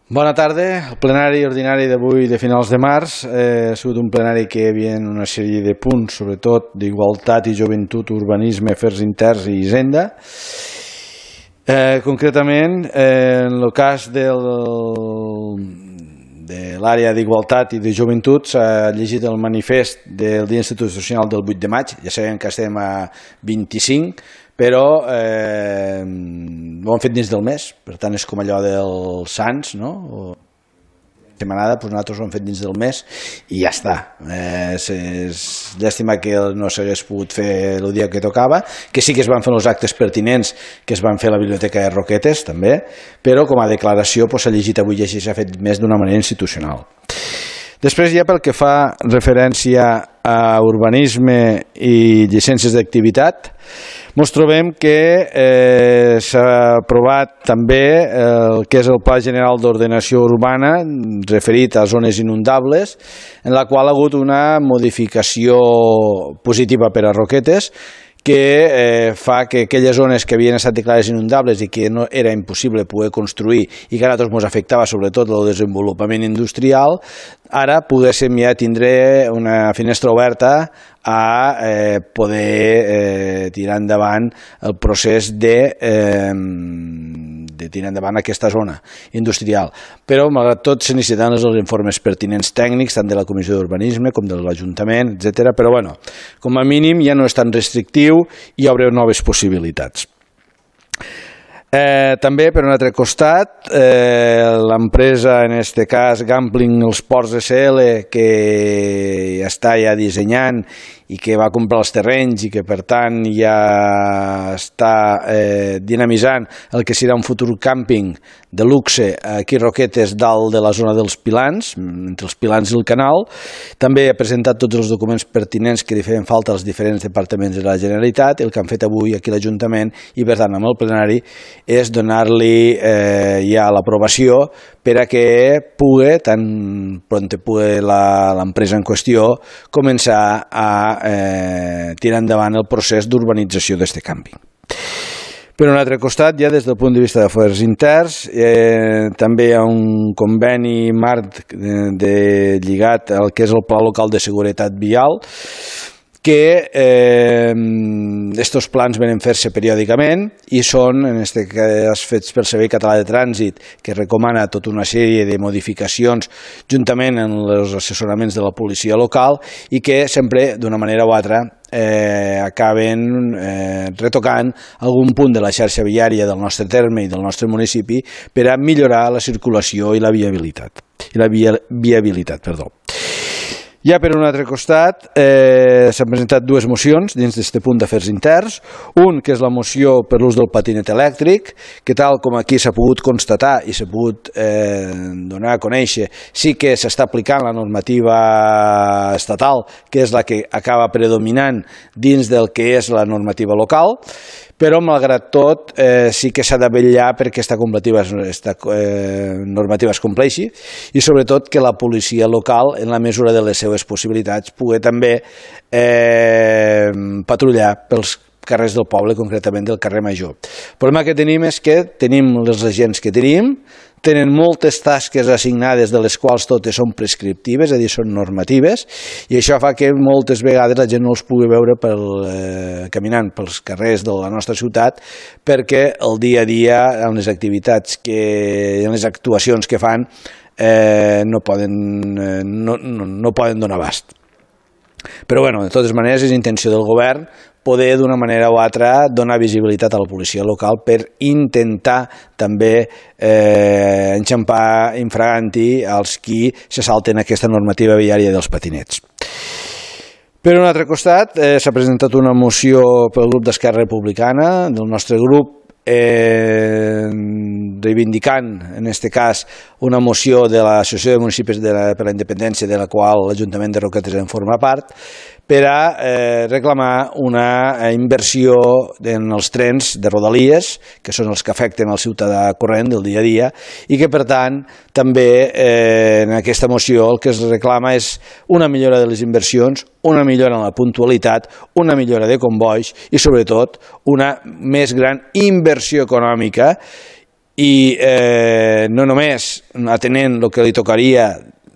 Bona tarda. El plenari ordinari d'avui de finals de març ha sigut un plenari que hi havia una sèrie de punts, sobretot d'igualtat i joventut, urbanisme, afers interns i hisenda. Concretament, en el cas de l'àrea d'igualtat i de joventut s'ha llegit el manifest del Dia Institucional del 8 de maig. Ja sabem que estem a 25, però ho han fet dins del mes, per tant és com allò dels Sants, no? Setmanada, doncs nosaltres ho hem fet dins del mes i ja està. És llàstima que no s'hagués pogut fer el dia que tocava, que sí que es van fer els actes pertinents que es van fer a la Biblioteca de Roquetes també, però com a declaració s'ha llegit avui i així s'ha fet més d'una manera institucional. Després, ja pel que fa referència a urbanisme i llicències d'activitat, ens trobem que s'ha aprovat també el que és el Pla General d'Ordenació Urbana referit a zones inundables, en la qual ha hagut una modificació positiva per a Roquetes, que fa que aquelles zones que havien estat declarades inundables i que no era impossible poder construir i que a nosaltres ens afectava sobretot el desenvolupament industrial, ara poguéssim ja tindre una finestra oberta a poder tirar endavant el procés de tirar endavant aquesta zona industrial. Però, malgrat tot, se necessiten els informes pertinents tècnics, tant de la Comissió d'Urbanisme com de l'Ajuntament, etc. Però, bueno, com a mínim ja no és tan restrictiu i obre noves possibilitats. També, per un altre costat, l'empresa, en aquest cas Gambling els Ports SL, que està ja dissenyant i que va comprar els terrenys i que per tant ja està dinamitzant el que serà un futur càmping de luxe aquí a Roquetes, dalt de la zona dels Pilans, entre els Pilans i el canal. També ha presentat tots els documents pertinents que li feien falta als diferents departaments de la Generalitat. El que han fet avui aquí a l'Ajuntament i per tant amb el plenari és donar-li ja l'aprovació per a que pugui, tan pront pugui l'empresa en qüestió, començar a tirar endavant el procés d'urbanització d'aquest càmping. Per un altre costat, ja des del punt de vista d'afers interns, també hi ha un conveni marc lligat al que és el Pla Local de Seguretat Vial, que aquests plans venen a fer-se periòdicament i són, en aquest cas, fets pel Servei Català de Trànsit, que recomana tota una sèrie de modificacions juntament amb els assessoraments de la policia local i que sempre, d'una manera o altra, acaben retocant algun punt de la xarxa viària del nostre terme i del nostre municipi per a millorar la circulació i la viabilitat. Ja per un altre costat s'han presentat dues mocions dins d'aquest punt d'afers interns. Un, que és la moció per l'ús del patinet elèctric, que tal com aquí s'ha pogut constatar i s'ha pogut donar a conèixer, sí que s'està aplicant la normativa estatal, que és la que acaba predominant dins del que és la normativa local, però malgrat tot sí que s'ha de vetllar perquè aquesta normativa es compleixi i sobretot que la policia local, en la mesura de les seves possibilitats, pugui també patrullar pels carrers del poble, concretament del carrer Major. El problema que tenim és que tenim els agents que tenim, tenen moltes tasques assignades de les quals totes són prescriptives, és a dir, són normatives, i això fa que moltes vegades la gent no els pugui veure caminant pels carrers de la nostra ciutat perquè el dia a dia, en les activitats, en les actuacions que fan, no poden donar abast. Però, bueno, de totes maneres, és intenció del govern poder d'una manera o altra donar visibilitat a la policia local per intentar també enxampar infraganti als qui se salten aquesta normativa viària dels patinets. Per un altre costat, s'ha presentat una moció pel grup d'Esquerra Republicana, del nostre grup, reivindicant, en aquest cas, una moció de l'Associació de Municipis per la Independència, de la qual l'Ajuntament de Roquetes en forma part, per a reclamar una inversió en els trens de Rodalies, que són els que afecten al ciutadà corrent del dia a dia, i que, per tant, també en aquesta moció el que es reclama és una millora de les inversions, una millora en la puntualitat, una millora de combois i, sobretot, una més gran inversió econòmica i no només atenent el que li tocaria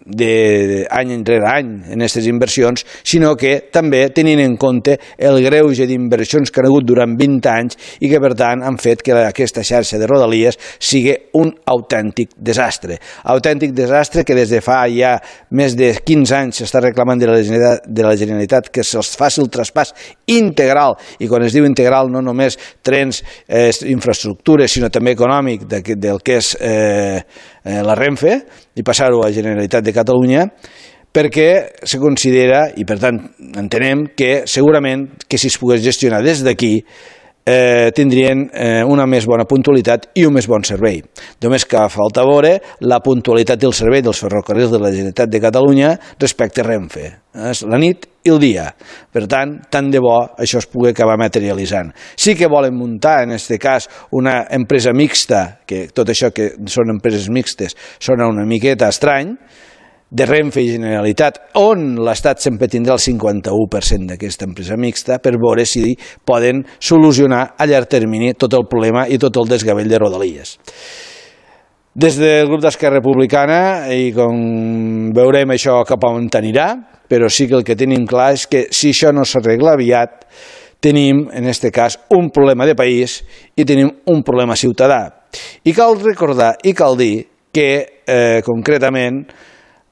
d'any enrere any en aquestes inversions, sinó que també tenint en compte el greuge d'inversions que han hagut durant 20 anys i que per tant han fet que aquesta xarxa de Rodalies sigui un autèntic desastre. Autèntic desastre que des de fa ja més de 15 anys s'està reclamant de la Generalitat que se'ls faci el traspàs integral, i quan es diu integral no només trens, infraestructures, sinó també econòmic del que és la Renfe, i passar-ho a la Generalitat de Catalunya, perquè se considera, i per tant entenem que segurament que si es pogués gestionar des d'aquí tindrien una més bona puntualitat i un més bon servei. Només que falta veure la puntualitat del servei dels ferrocarrils de la Generalitat de Catalunya respecte a Renfe. És la nit i el dia. Per tant, tant de bo això es pugui acabar materialitzant. Sí que volen muntar, en aquest cas, una empresa mixta, que tot això que són empreses mixtes sona una miqueta estrany, de Renfe i Generalitat, on l'Estat sempre tindrà el 51% d'aquesta empresa mixta, per veure si poden solucionar a llarg termini tot el problema i tot el desgavell de Rodalies. Des del grup d'Esquerra Republicana, i com veurem això cap on anirà, però sí que el que tenim clar és que si això no s'arregla aviat, tenim, en aquest cas, un problema de país i tenim un problema ciutadà. I cal recordar i cal dir que, concretament,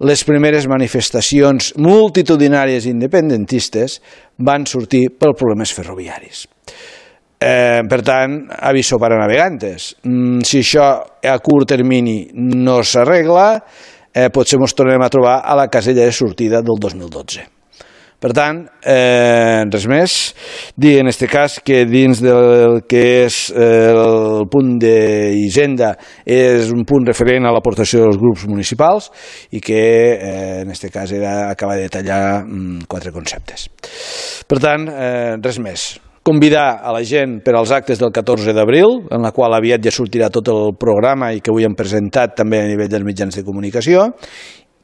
les primeres manifestacions multitudinàries independentistes van sortir per problemes ferroviaris. Per tant, aviso para navegantes. Si això a curt termini no s'arregla, potser ens tornem a trobar a la casella de sortida del 2012. Per tant, res més, dir en aquest cas que dins del que és el punt d'Hisenda és un punt referent a l'aportació dels grups municipals i que en aquest cas era acabar de detallar 4 conceptes. Per tant, res més. Convidar a la gent per als actes del 14 d'abril, en la qual aviat ja sortirà tot el programa i que avui hem presentat també a nivell dels mitjans de comunicació.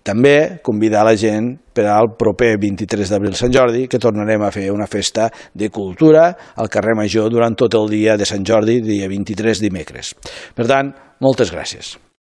També convidar la gent per al proper 23 d'abril Sant Jordi, que tornarem a fer una festa de cultura al carrer Major durant tot el dia de Sant Jordi, dia 23 dimecres. Per tant, moltes gràcies.